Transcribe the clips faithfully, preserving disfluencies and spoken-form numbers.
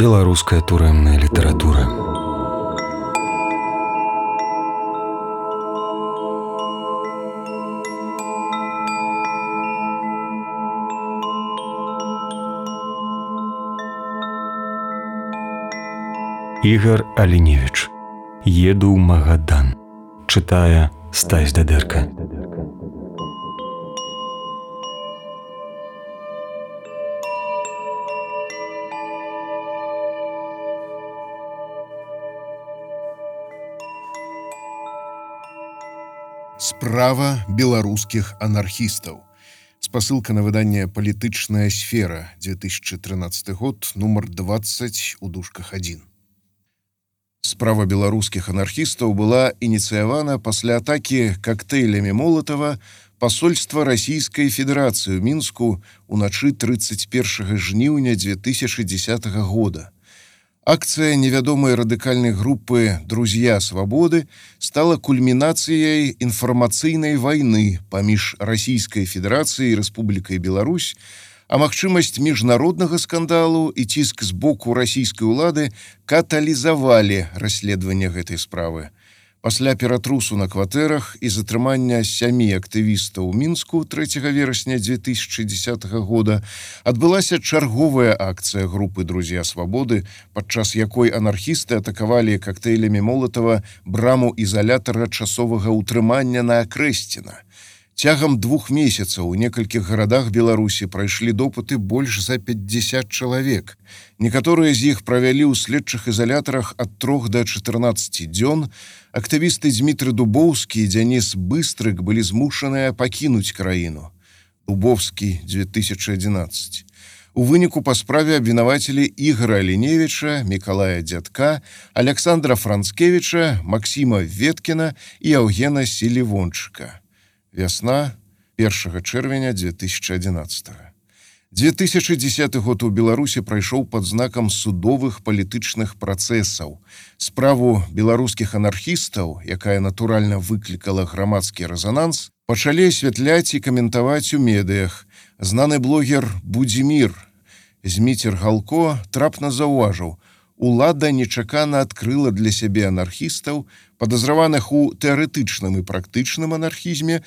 Беларуская турэмная літаратура. Ігар Аліневіч. Еду ў Магадан. Чытае Стась Дадэрка. Справа беларускіх анархістаў. Спасылка на выданне «Палітычная сфера», две тысячи тринадцатый год, нумар двадцать у дужках один. Справа беларускіх анархістаў была ініцыявана пасля атакі коктейлямі Молатава пасольства Расійскай Федэрацыі ў Мінску ўначы тридцать первого жніўня две тысячи десятого года. Акция невядомой радыкальной группы «Друзья свободы» стала кульминацией информационной войны поміж Российской Федерацией и Республикой Беларусь, а магчымасць міжнароднага скандалу і ціск з боку расійскай улады каталізавалі расследаванне гэтай справы. Пасля ператрусу на кватэрах і затрымання сямі актывістаў у Мінску трэцяга верасня две тысячи десятого года адбылася чарговая акцыя групы «Друзья свободы», падчас якой анархісты атакавалі коктейлямі Молатава браму ізалятара часовага ўтрымання на Акрэсціна. Цягам двух месяцаў у некалькіх гарадах Беларусі прайшлі допыты больш за пятьдесят чалавек. Некаторыя з іх правялі ў следчых ізалятарах ад трох да чатырнаццаці дзён. Актывісты Дмітрый Дубоўскі і Дзяніс Быстрык былі змушаныя пакінуць краіну. Дубовскі, две тысячи одиннадцать. У выніку па справе абвінавацілі Ігара Аліневіча, Мікалая Дзядка, Александра Францкевіча, Максима Веткіна і Яўгена Селівончыка. Вясна первого чэрвеня две тысячи одиннадцатого. две тысячи десятый год у Беларусі прайшоў пад знакам судовых палітычных працэсаў. Справу беларускіх анархістаў, якая натуральна выклікала грамадскі рэзананс, пачалі асвятляць і каментаваць у медыях. Знаны блогер Будзімір Зміцер Галко трапна заўважыў: улада нечакана адкрыла для сябе анархістаў, падазраваных у тэарэтычным і практычным анархізме,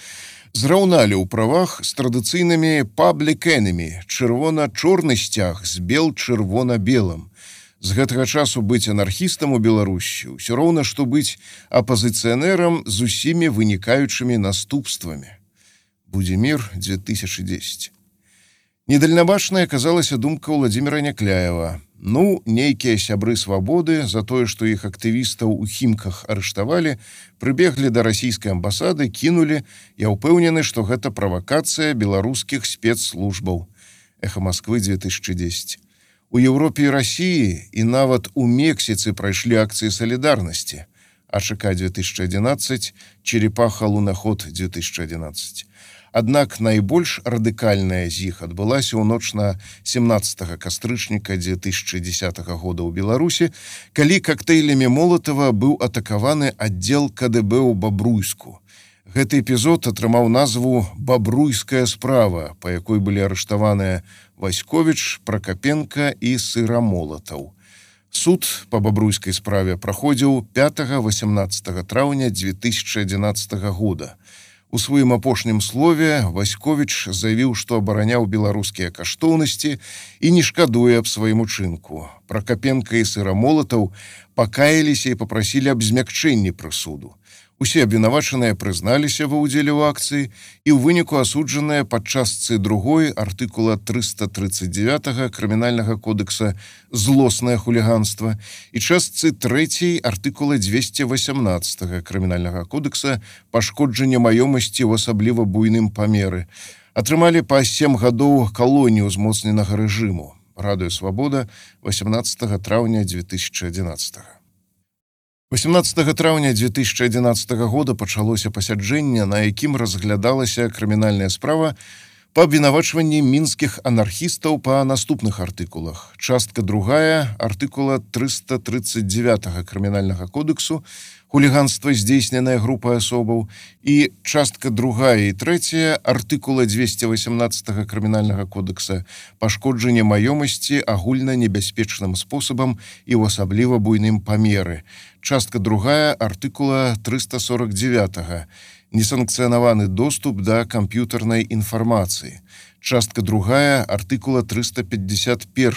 зраўналі ў правах з традыцыйнымі public enemy, чырвона-чорны сцяг з бел-чырвона-белым. З гэтага часу быць анархістам у Беларусі ўсё роўна, што быць апазіцыянерам з усімі вынікаючымі наступствамі. Будзімір, две тысячи десятый. Недальнабачнай аказалася думка Владимира Някляева. Ну, нейкія сябры свабоды за тое, што іх актывістаў у Хімках арыштавалі, прыбеглі да расійскай амбасады, кінулі. Я ўпэўнены, што гэта правакацыя беларускіх спецслужбаў. Эхо Москвы, две тысячи десятый. У Еўропе і Расіі і нават у Мексіцы прайшлі акцыі салідарнасці. АШК две тысячи одиннадцать, Черепаха-Лунаход две тысячи одиннадцать. Аднак найбольш радыкальная з іх адбылася ў ноч на семнадцатого кастрычніка две тысячи десятого года ў Беларусі, калі коктейлямі Молатава быў атакаваны аддзел КДБ ў Бабруйску. Гэты эпізод атрымаў назву «Бабруйская справа», па якой былі арыштаваныя Васьковіч, Пракапенка і Сыра-Молатаў. Суд па бабруйскай справе праходзіў пятого-восемнадцатого траўня две тысячи одиннадцатого года. У сваім апошнім слове Васьковіч заявіў, што абараняў беларускія каштоўнасці і не шкадуе аб сваім учынку. Пракапенка і Сыра-Молатаў пакаяліся і папрасілі аб змякчэнні прысуду. Усе абвінавачаныя прызналіся ва ўдзеле ў акцыі і ў выніку асуджаныя пад частцы другой артыкула триста тридцать девять крымінальнага кодекса «Злоснае хуліганства» і частцы трэцяй артыкула двести восемнадцать крымінальнага кодекса «Пашкоджанне маёмасці ў асабліва буйным памеры». Атрымалі па сем гадоў калоніі ўзмоцненага рэжыму. Радыё Свабода, восемнадцатого траўня две тысячи одиннадцатого. восемнадцатого траўня две тысячи одиннадцатого года пачалося пасяджэнне, на якім разглядалася крымінальная справа па абвінавачванні мінскіх анархістаў па наступных артыкулах. Частка другая артыкула трыста тридцать девять крымінальнага кодексу хуліганства, здзейсненае групай асобаў, і частка другая і трэцяя артыкула двести восемнадцать крымінальнага кодекса пашкоджанне маёмасці агульна небяспечным спосабам і ў асабліва буйным памеры. Частка другая артыкула триста сорок девять несанкцыянаваны доступ да камп'ютарнай інфармацыі. Частка другая артыкула триста пятьдесят один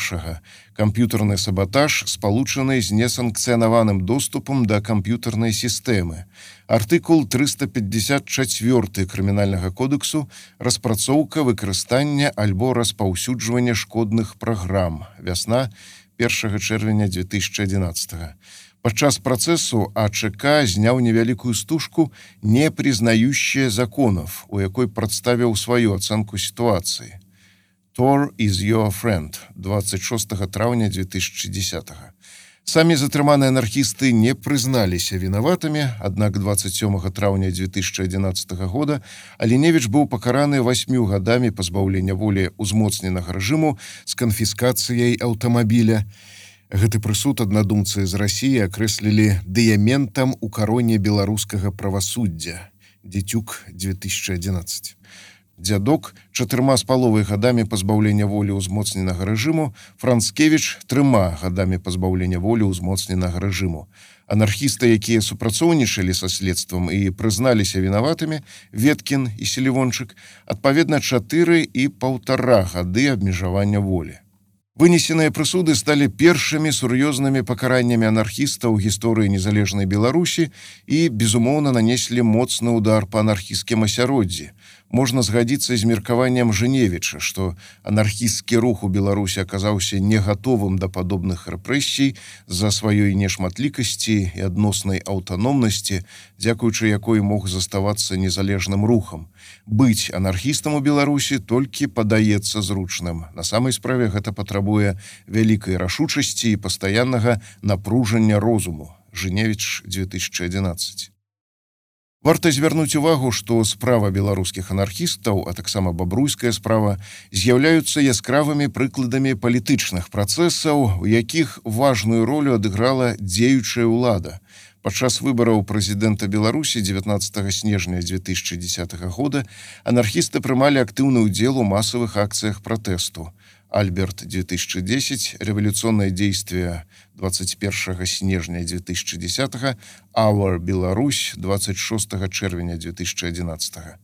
камп'ютарны саботаж, спалучаны з несанкцыянаваным доступам да камп'ютарнай сістэмы. Артыкул триста пятьдесят четыре крымінальнага кодексу распрацоўка, выкарыстання альбо распаўсюджвання шкодных праграм. Вясна першага чэрвеня две тысячи одиннадцатого. Падчас працэсу АЧК зняў невялікую стужку «Не признающая законов», у якой прадставіў сваю ацэнку сітуацыі. Tor is your friend, двадцать шестого траўня две тысячи десятого. Самі затрыманыя анархісты не прызналіся вінаватымі, аднак двадцать седьмого траўня две тысячи одиннадцатого года Аліневіч быў пакараны восьмю гадамі пазбаўлення волі узмоцненага рэжыму з канфіскацыяй аўтамабіля. Гэты прысуд аднадумцы з Расіі акрэслілі дыяментам у кароне беларускага правасуддзя. Дзецюк две тысячи одиннадцать. Дзядок чатырма з паловай гадамі пазбаўлення волі ўзмоцненага рэжыму, Францкевіч трыма гадамі пазбаўлення волі ўзмоцненага рэжыму. Анархісты, якія супрацоўнічалі са следствам і прызналіся вінаватымі, Веткін і Селівончык, адпаведна чатыры і паўтара гады абмежавання волі. Вынесеныя прысуды сталі першымі сур'ёзнымі пакараннямі анархістаў у гісторыі незалежнай Беларусі і, безумоўна, нанеслі моцны удар па анархісцкім асяроддзі. Можна згадзіцца з меркаваннем Жыневіча, што анархісцкі рух у Беларусі аказаўся не гатовым да падобных рэпрэсій з-за сваёй нешматлікасці і адноснай аўтаномнасці, дзякуючы якой мог заставацца незалежным рухам. Быць анархістам у Беларусі толькі падаецца зручным. На самай справе гэта патрабуе вялікай рашучасці і пастаяннага напружання розуму. Жыневіч две тысячи одиннадцать. Варта звярнуць увагу, што справа беларускіх анархістаў, а таксама бабруйская справа, з'яўляюцца яскравымі прыкладамі палітычных працэсаў, у якіх важную ролю адыграла дзеючая ўлада. Падчас выбараў прэзідэнта Беларусі дзевятнадцатого снежня две тысячи десятого года анархісты прымалі актыўны ўдзел у масавых акцыях пратэсту. Альберт две тысячи десять, революционное действие двадцать первого снежня две тысячи десятого, Our Беларусь двадцать шестого чэрвеня две тысячи одиннадцатого.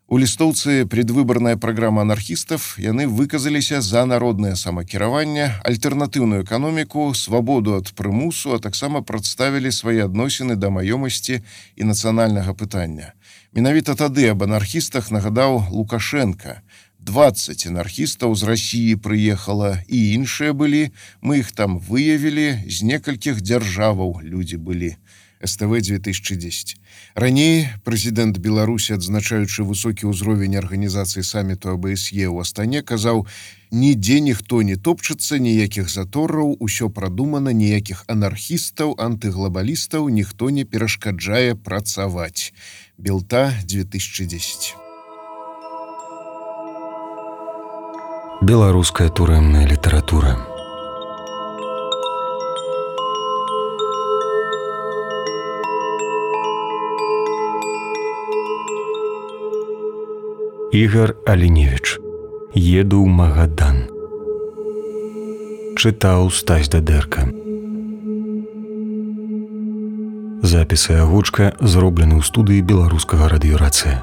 У лістоўцы предвыборная программа анархістов, яны выказаліся за народное самакіраванне, альтэрнатыўную эканоміку, свабоду ад прымусу, а таксама прадставілі свае адносіны да маёмасці і нацыянальнага пытання. Менавіта тады аб анархістах нагадаў Лукашенко. двадцать анархістаў з Расіі прыехала, і іншыя былі, мы іх там выявілі, з некалькіх дзяржаваў людзі былі. СТВ две тысячи десять. Раней прэзідэнт Беларусі, адзначаючы высокі ўзровень арганізацыі саміту АБСЕ ў Астане, казаў: «Нідзе ніхто не топчацца, ніякіх затораў, усё прадумана, ніякіх анархістаў, антыглабалістаў, ніхто не перашкаджае працаваць». Белта две тысячи десять. Беларуская турэмная літаратура. Ігар Аліневіч. Еду ў Магадан. Чытаў Стась Дадэрка. Запісы агучка зроблены ў студыі беларускага радыёрацыя.